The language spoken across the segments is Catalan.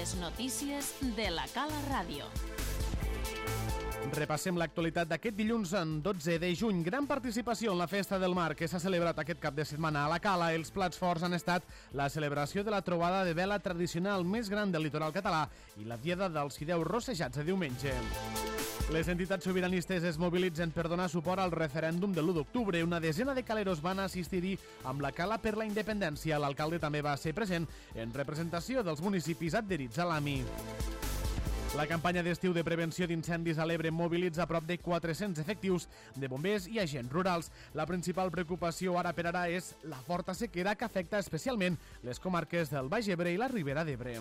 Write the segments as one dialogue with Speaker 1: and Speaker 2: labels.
Speaker 1: Les notícies de la Cala Ràdio.
Speaker 2: Repassem l'actualitat d'aquest dilluns en 12 de juny. Gran participació en la Festa del Mar que s'ha celebrat aquest cap de setmana a la Cala. Els plats forts han estat la celebració de la trobada de vela tradicional més gran del litoral català i la diada dels fideus rossejats de diumenge. Les entitats sobiranistes es mobilitzen per donar suport al referèndum de l'1 d'octubre. Una desena de caleros van assistir-hi amb la Cala per la Independència. L'alcalde també va ser present en representació dels municipis adherits a l'AMI. La campanya d'estiu de prevenció d'incendis a l'Ebre mobilitza prop de 400 efectius de bombers i agents rurals. La principal preocupació ara per ara és la forta sequera que afecta especialment les comarques del Baix Ebre i la Ribera d'Ebre.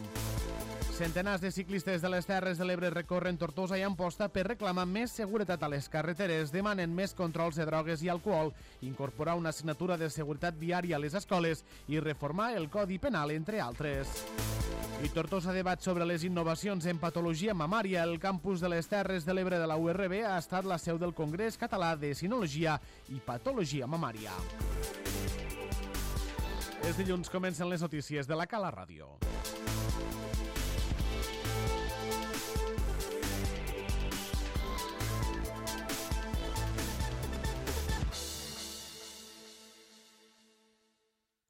Speaker 2: Centenars de ciclistes de les Terres de l'Ebre recorren Tortosa i Amposta per reclamar més seguretat a les carreteres. Demanen més controls de drogues i alcohol, incorporar una assignatura de seguretat viària a les escoles i reformar el Codi Penal, entre altres. I Tortosa debat sobre les innovacions en patologia mamària. El campus de les Terres de l'Ebre de la URB ha estat la seu del Congrés Català de Sinologia i Patologia Mamària. Els dilluns comencen les notícies de la Cala Ràdio.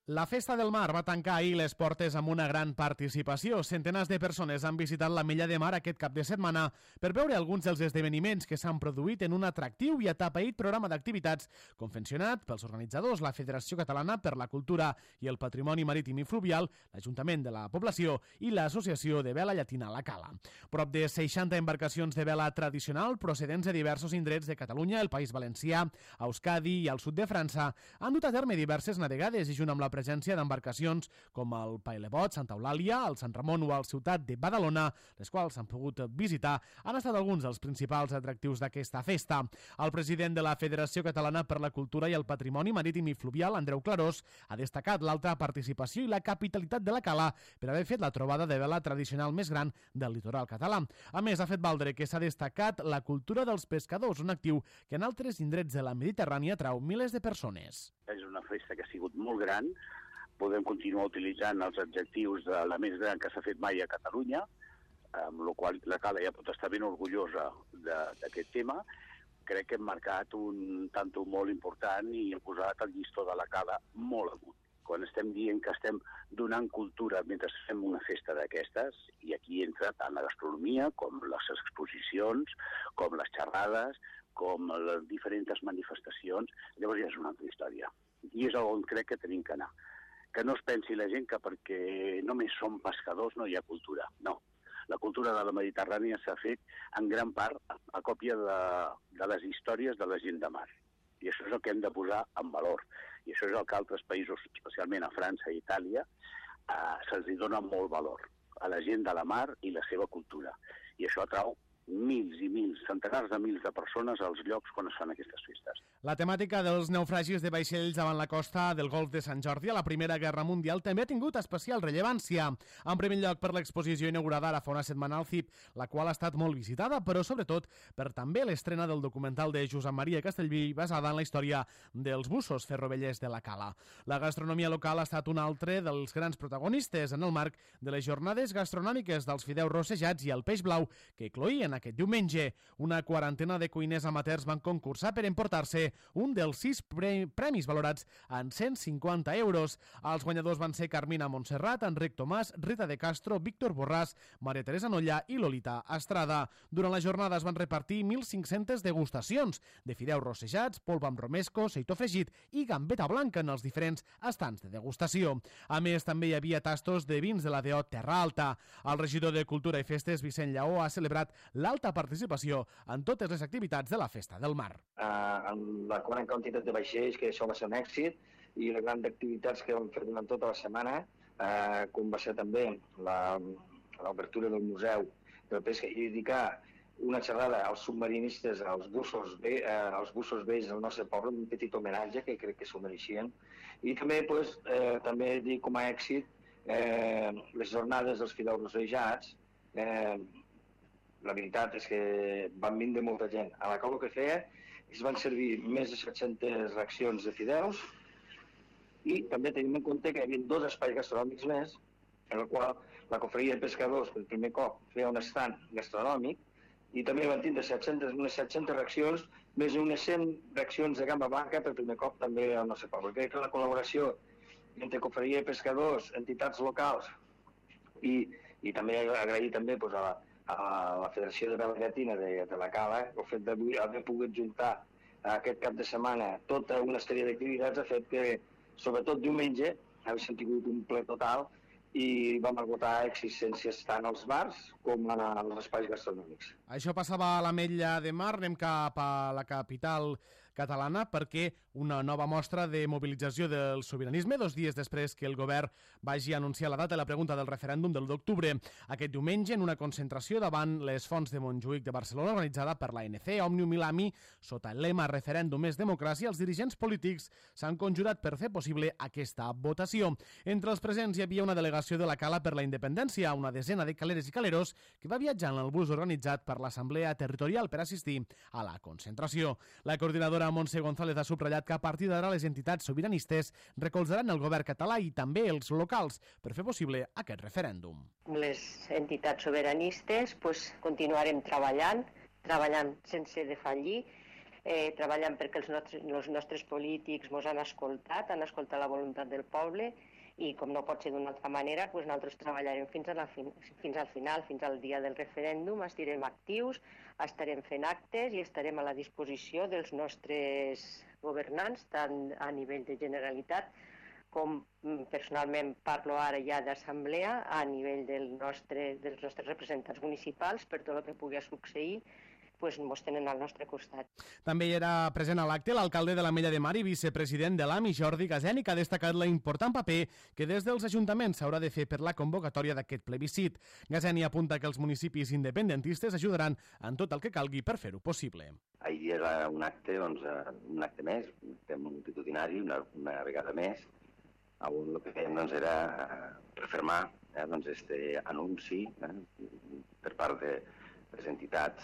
Speaker 2: La Festa del Mar va tancar ahir les portes amb una gran participació. Centenars de persones han visitat la Mella de Mar aquest cap de setmana per veure alguns dels esdeveniments que s'han produït en un atractiu i atapeït programa d'activitats confeccionat pels organitzadors, la Federació Catalana per la Cultura i el Patrimoni Marítim i Fluvial, l'Ajuntament de la Població i l'Associació de Vela Llatina La Cala. Prop de 60 embarcacions de vela tradicional procedents de diversos indrets de Catalunya, el País Valencià, Euskadi i al sud de França han dut a terme diverses navegades i junt amb la presència d'embarcacions com el Pailebot, Santa Eulàlia, el Sant Ramon o el Ciutat de Badalona, les quals s'han pogut visitar, han estat alguns dels principals atractius d'aquesta festa. El president de la Federació Catalana per la Cultura i el Patrimoni Marítim i Fluvial, Andreu Clarós, ha destacat l'alta participació i la capitalitat de la Cala per haver fet la trobada de vela tradicional més gran del litoral català. A més, ha fet valdre que s'ha destacat la cultura dels pescadors, un actiu que en altres indrets de la Mediterrània atrau milers de persones.
Speaker 3: És una festa que ha sigut molt gran, podem continuar utilitzant els adjectius de la més gran que s'ha fet mai a Catalunya, amb la qual la Cala ja pot estar ben orgullosa d'aquest tema. Crec que hem marcat un tanto molt important i hem posat el llistó de la Cala molt amunt. Quan estem dient que estem donant cultura mentre fem una festa d'aquestes, i aquí entra tant la gastronomia com les exposicions, com les xerrades, com les diferents manifestacions, llavors ja és una altra història. I és on crec que tenim que anar. Que no es pensi la gent que perquè només som pescadors no hi ha cultura. No. La cultura de la Mediterrània s'ha fet en gran part a còpia de les històries de la gent de mar. I això és el que hem de posar en valor. I això és el que altres països, especialment a França i Itàlia, se'ls dona molt valor a la gent de la mar i la seva cultura. I això atrau mils i mils, centenars de mils de persones als llocs quan es fan aquestes festes.
Speaker 2: La temàtica dels naufragis de vaixells davant la costa del Golf de Sant Jordi a la Primera Guerra Mundial també ha tingut especial rellevància. En primer lloc per l'exposició inaugurada ara fa una setmana al CIP, la qual ha estat molt visitada, però sobretot per també l'estrena del documental de Josep Maria Castellví basada en la història dels bussos ferrovellers de la Cala. La gastronomia local ha estat un altre dels grans protagonistes en el marc de les jornades gastronòmiques dels fideus rossejats i el peix blau que cloïen aquest diumenge. Una quarantena de cuiners amateurs van concursar per emportar-se un dels 6 premis valorats en 150 euros. Els guanyadors van ser Carmina Montserrat, Enric Tomàs, Rita de Castro, Víctor Borràs, Maria Teresa Nolla i Lolita Estrada. Durant la jornada es van repartir 1.500 degustacions de fideus rossejats, polpa amb romesco, seitó fregit i gambeta blanca en els diferents estants de degustació. A més, també hi havia tastos de vins de la DO Terra Alta. El regidor de Cultura i Festes, Vicent Lleó, ha celebrat l'alta participació en totes les activitats de la Festa del Mar.
Speaker 4: Amb la gran quantitat de vaixells, que això va ser un èxit, i les grans activitats que vam fer durant tota la setmana, com va ser també l'obertura del Museu de Pesca i dedicar una xerrada als submarinistes, als bussos vells del nostre poble, un petit homenatge que crec que s'ho mereixien. I també, també dir com a èxit les jornades dels fideus rossejats. La veritat és que van vindre molta gent. A la cau el que feia es van servir més de 700 racions de fideus i també tenim en compte que hi havia 2 espais gastronòmics més en el qual la Cofreria de Pescadors per primer cop feia un estand gastronòmic i també van tindre unes 700 reaccions, més d'unes 100 reaccions de gamba blanca per primer cop també al nostre poble. Crec que la col·laboració entre Cofreria de Pescadors, entitats locals i també agrair també a la Federació de Vela Llatina de la Cala el fet d'haver pogut juntar aquest cap de setmana tota una sèrie d'activitats ha fet que, sobretot diumenge, haguéssim tingut un ple total i vam esgotar existències tant als bars com als espais gastronòmics.
Speaker 2: Això passava a l'Ametlla de Mar, anem cap a la capital catalana perquè una nova mostra de mobilització del sobiranisme 2 dies després que el govern vagi anunciar la data de la pregunta del referèndum del 1 d'octubre. Aquest diumenge, en una concentració davant les Fonts de Montjuïc de Barcelona organitzada per l'ANC, Òmnium i l'AMI, sota el lema Referèndum és democràcia, els dirigents polítics s'han conjurat per fer possible aquesta votació. Entre els presents hi havia una delegació de la Cala per la Independència, una desena de caleres i caleros que va viatjar en el bus organitzat per l'Assemblea Territorial per assistir a la concentració. La coordinadora Montse González ha subratllat que a partir d'ara les entitats sobiranistes recolzaran el govern català i també els locals per fer possible aquest referèndum.
Speaker 5: Les entitats sobiranistes continuarem treballant sense defallir, treballant perquè els nostres polítics ens han escoltat la voluntat del poble i com no pot ser d'una altra manera, nosaltres treballarem fins al final, fins al dia del referèndum, estarem actius, estarem fent actes i estarem a la disposició dels nostres governants, tant a nivell de Generalitat com personalment parlo ara ja d'assemblea, a nivell dels nostres representants municipals, per tot el que pugui succeir, ens tenen al nostre costat.
Speaker 2: També hi era present a l'acte l'alcalde de l'Ametlla de Mar i vicepresident de l'AMI, Jordi Gaseni, que ha destacat l'important paper que des dels ajuntaments s'haurà de fer per la convocatòria d'aquest plebiscit. Gaseni apunta que els municipis independentistes ajudaran en tot el que calgui per fer-ho possible.
Speaker 6: Ahir era un acte més, un acte multitudinari, una vegada més, on el que fèiem era refermar aquest anunci per part de les entitats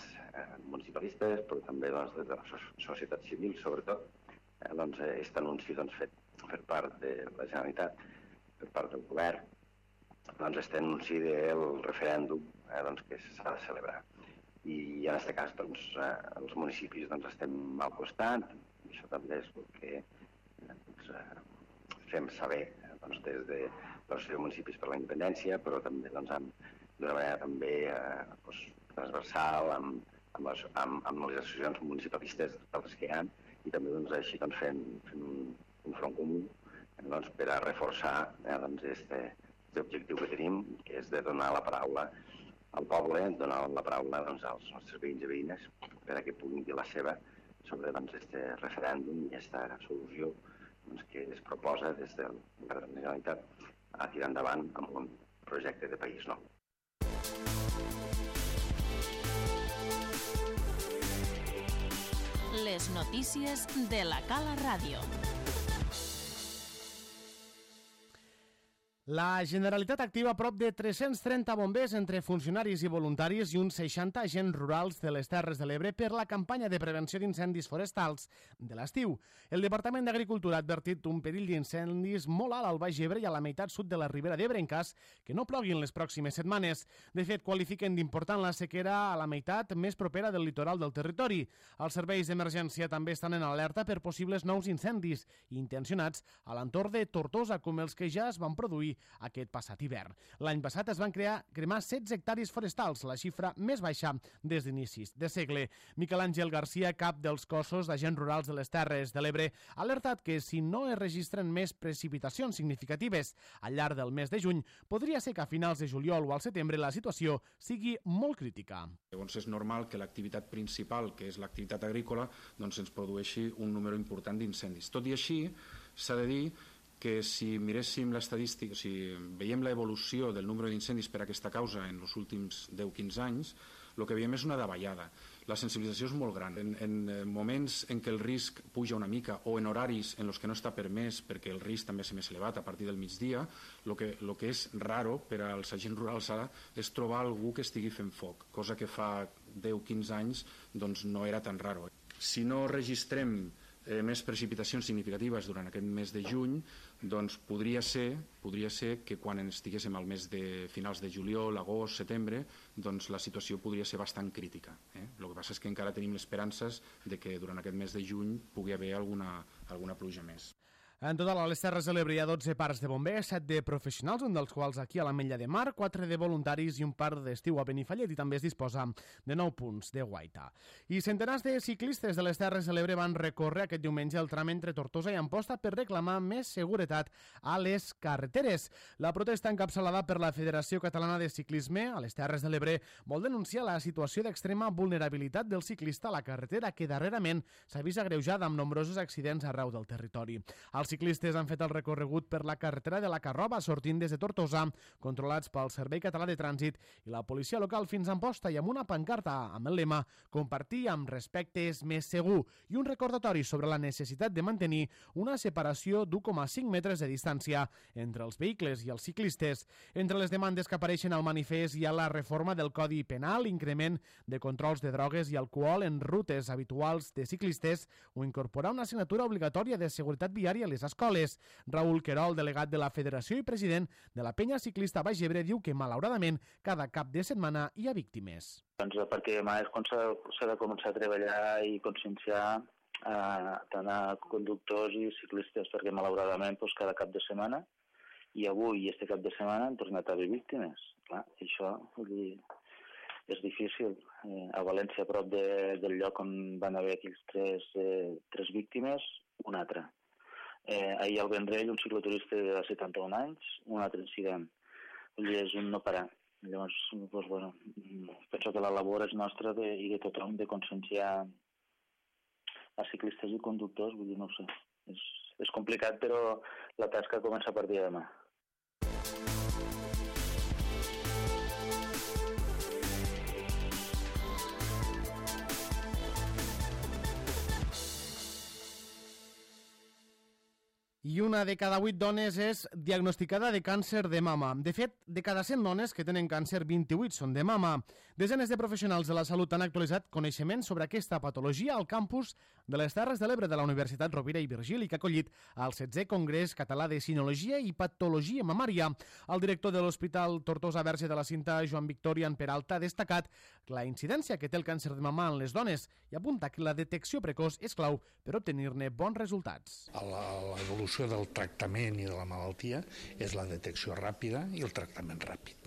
Speaker 6: municipalistes, però també de la societat civil, sobretot, aquest anunci fet per part de la Generalitat, per part del govern, aquest anunci del referèndum que s'ha de celebrar. I en aquest cas els municipis estem al costat, i això també és el que fem saber des de l'Associació de Municipis per la Independència, però també d'una manera també transversal amb les associacions municipalistes d'altres que hi ha i també així fent un front comú per a reforçar aquest objectiu que tenim, que és de donar la paraula al poble, donar la paraula als nostres veïns i veïnes per a que puguin dir la seva sobre aquest referèndum i aquesta solució que es proposa des del govern de la Generalitat a tirar endavant amb un projecte de país nou.
Speaker 1: Les notícies de la Cala Ràdio.
Speaker 2: La Generalitat activa prop de 330 bombers entre funcionaris i voluntaris i uns 60 agents rurals de les Terres de l'Ebre per la campanya de prevenció d'incendis forestals de l'estiu. El Departament d'Agricultura ha advertit un perill d'incendis molt alt al Baix Ebre i a la meitat sud de la Ribera d'Ebre en cas que no ploguin les pròximes setmanes. De fet, qualifiquen d'important la sequera a la meitat més propera del litoral del territori. Els serveis d'emergència també estan en alerta per possibles nous incendis intencionats a l'entorn de Tortosa, com els que ja es van produir aquest passat hivern. L'any passat es van cremar 16 hectàrees forestals, la xifra més baixa des d'inicis de segle. Miquel Àngel Garcia, cap dels cossos d'agents rurals de les Terres de l'Ebre, ha alertat que si no es registren més precipitacions significatives al llarg del mes de juny, podria ser que a finals de juliol o al setembre la situació sigui molt crítica.
Speaker 7: Llavors és normal que l'activitat principal, que és l'activitat agrícola, ens produeixi un número important d'incendis. Tot i així, s'ha de dir que si miréssim l'estadística, si veiem l'evolució del número d'incendis per aquesta causa en els últims 10-15 anys, el que veiem és una davallada. La sensibilització és molt gran. En moments en què el risc puja una mica o en horaris en els que no està permès perquè el risc també és més elevat a partir del migdia, el que és raro per als agents rurals ara és trobar algú que estigui fent foc, cosa que fa 10-15 anys no era tan raro. Si no registrem més precipitacions significatives durant aquest mes de juny, doncs podria ser que quan estiguéssim al mes de finals de juliol, agost, setembre, doncs la situació podria ser bastant crítica. El que passa és que encara tenim esperances de que durant aquest mes de juny pugui haver alguna pluja més.
Speaker 2: En total, a les Terres de l'Ebre hi ha 12 parcs de bombers, 7 de professionals, un dels quals aquí a l'Ametlla de Mar, 4 de voluntaris i un parc d'estiu a Benifallet, i també es disposa de 9 punts de guaita. I centenars de ciclistes de les Terres de l'Ebre van recórrer aquest diumenge el tram entre Tortosa i Amposta per reclamar més seguretat a les carreteres. La protesta encapçalada per la Federació Catalana de Ciclisme a les Terres de l'Ebre vol denunciar la situació d'extrema vulnerabilitat del ciclista a la carretera, que darrerament s'ha vist agreujada amb nombrosos accidents arreu del territori. Els ciclistes han fet el recorregut per la carretera de la Carroba, sortint des de Tortosa, controlats pel Servei Català de Trànsit i la policia local fins a Amposta, i amb una pancarta amb el lema "Compartir amb respecte és més segur", i un recordatori sobre la necessitat de mantenir una separació d'1,5 metres de distància entre els vehicles i els ciclistes. Entre les demandes que apareixen al manifest hi ha la reforma del Codi Penal, increment de controls de drogues i alcohol en rutes habituals de ciclistes o incorporar una assignatura obligatòria de seguretat viària a les escoles. Raül Querol, delegat de la Federació i president de la Penya Ciclista Baix Ebre, diu que, malauradament, cada cap de setmana hi ha víctimes.
Speaker 8: Doncs perquè demà és quan s'ha de començar a treballar i conscienciar tant a conductors i ciclistes, perquè malauradament cada cap de setmana, i avui i este cap de setmana han tornat a haver víctimes. Clar, això és difícil. A València, a prop del lloc on van haver aquells tres víctimes, una altra. Ahir al Vendrell, un cicloturista de 71 anys, un altre incident. És un no parar. Llavors, penso que la labor és nostra i de tothom de conscienciar a ciclistes i conductors. Vull dir, no ho sé. És complicat, però la tasca comença a partir de demà.
Speaker 2: I una de cada 8 dones és diagnosticada de càncer de mama. De fet, de cada 100 dones que tenen càncer, 28 són de mama. Desenes de professionals de la salut han actualitzat coneixements sobre aquesta patologia al campus de les Terres de l'Ebre de la Universitat Rovira i Virgili, que ha acollit el 16è Congrés Català de Sinologia i Patologia Mamària. El director de l'Hospital Tortosa Verge de la Cinta, Joan Victorian Peralta, ha destacat la incidència que té el càncer de mama en les dones i apunta que la detecció precoç és clau per obtenir-ne bons resultats.
Speaker 9: L'evolució del tractament i de la malaltia és la detecció ràpida i el tractament ràpid.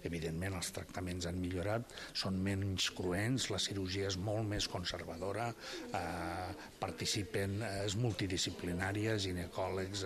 Speaker 9: Evidentment, els tractaments han millorat, són menys cruents, la cirurgia és molt més conservadora, participen, és multidisciplinària, ginecòlegs,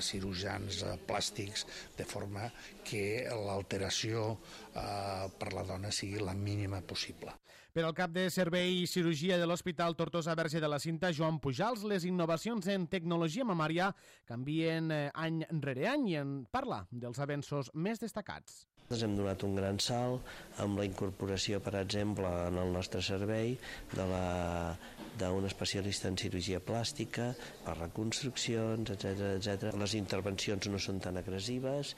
Speaker 9: cirurgians plàstics, de forma que l'alteració per la dona sigui la mínima possible.
Speaker 2: Per al cap de Servei i Cirurgia de l'Hospital Tortosa Verge de la Cinta, Joan Pujals, les innovacions en tecnologia mamària canvien any rere any i en parla dels avenços més destacats.
Speaker 10: Hem donat un gran salt amb la incorporació, per exemple, en el nostre servei d'un especialista en cirurgia plàstica, per reconstruccions, etc. Les intervencions no són tan agressives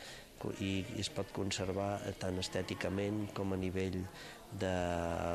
Speaker 10: i es pot conservar tant estèticament com a nivell de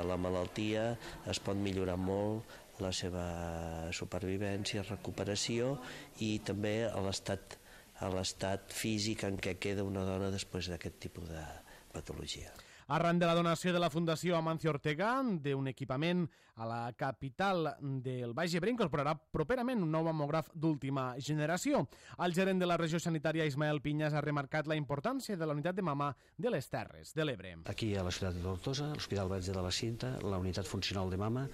Speaker 10: la malaltia. Es pot millorar molt la seva supervivència, recuperació i també l'estat físic en què queda una dona després d'aquest tipus de patologia.
Speaker 2: Arran de la donació de la Fundació Amancio Ortega d'un equipament a la capital del Baix Ebre, incorporarà properament un nou mamògraf d'última generació. El gerent de la regió sanitària, Ismael Pinyas, ha remarcat la importància de la unitat de mama de les Terres de l'Ebre.
Speaker 11: Aquí a la ciutat de Tortosa, l'Hospital Verge de la Cinta, la unitat funcional de mama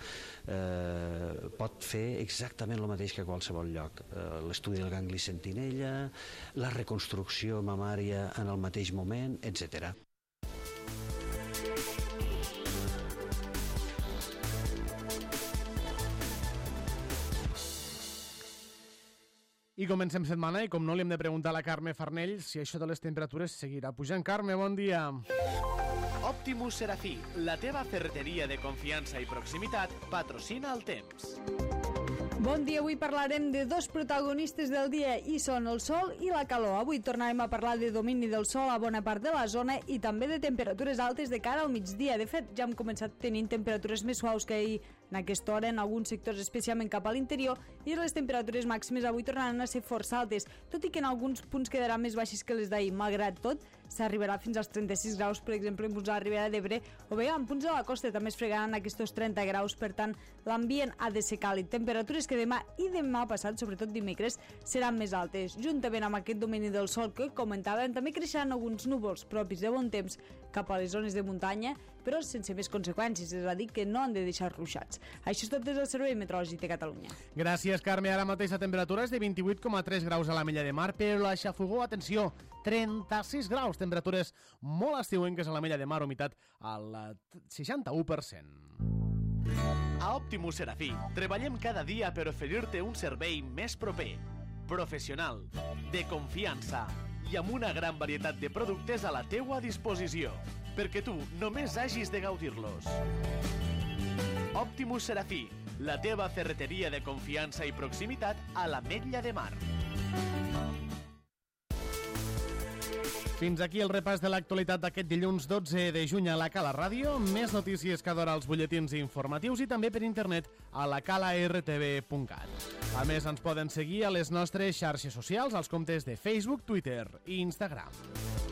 Speaker 11: pot fer exactament el mateix que a qualsevol lloc. L'estudi del gangli sentinella, la reconstrucció mamària en el mateix moment, etc.
Speaker 2: I comencem setmana i com no li hem de preguntar a la Carme Farnell si això de les temperatures seguirà pujant. Carme, bon dia.
Speaker 12: Optimus Serafí, la teva ferreteria de confiança i proximitat, patrocina el temps.
Speaker 13: Bon dia, avui parlarem de dos protagonistes del dia i són el sol i la calor. Avui tornarem a parlar de domini del sol a bona part de la zona i també de temperatures altes de cara al migdia. De fet, ja hem començat tenint temperatures més suaus que ahir en aquesta hora en alguns sectors, especialment cap a l'interior, i les temperatures màximes avui tornaran a ser força altes, tot i que en alguns punts quedaran més baixes que les d'ahir. Malgrat tot, s'arribarà fins als 36 graus, per exemple, en punts de la Ribera d'Ebre, o bé en punts de la costa també es fregaran aquests 30 graus, per tant, l'ambient ha de ser càlid. Temperatures que demà i demà passat, sobretot dimecres, seran més altes. Juntament amb aquest domini del sol que comentàvem, també creixeran alguns núvols propis de bon temps cap a les zones de muntanya, però sense més conseqüències, és a dir, que no han de deixar ruixats. Això és tot des del Servei Meteorològic de Catalunya.
Speaker 2: Gràcies, Carme. Ara mateix la temperatura és de 28,3 graus a l'Ametlla de Mar, però la Xafogó, atenció, 36 graus, temperatures molt estiuenques a l'Ametlla de Mar, humitat al 61%.
Speaker 12: A Optimus Serafí treballem cada dia per oferir-te un servei més proper, professional, de confiança i amb una gran varietat de productes a la teua disposició, perquè tu només hagis de gaudir-los. Optimus Serafí, la teva ferreteria de confiança i proximitat a l'Ametlla de Mar.
Speaker 2: Fins aquí el repàs de l'actualitat d'aquest dilluns 12 de juny a la Cala Ràdio. Més notícies cada hora als butlletins informatius i també per internet a lacalartv.cat. A més, ens poden seguir a les nostres xarxes socials, als comptes de Facebook, Twitter i Instagram.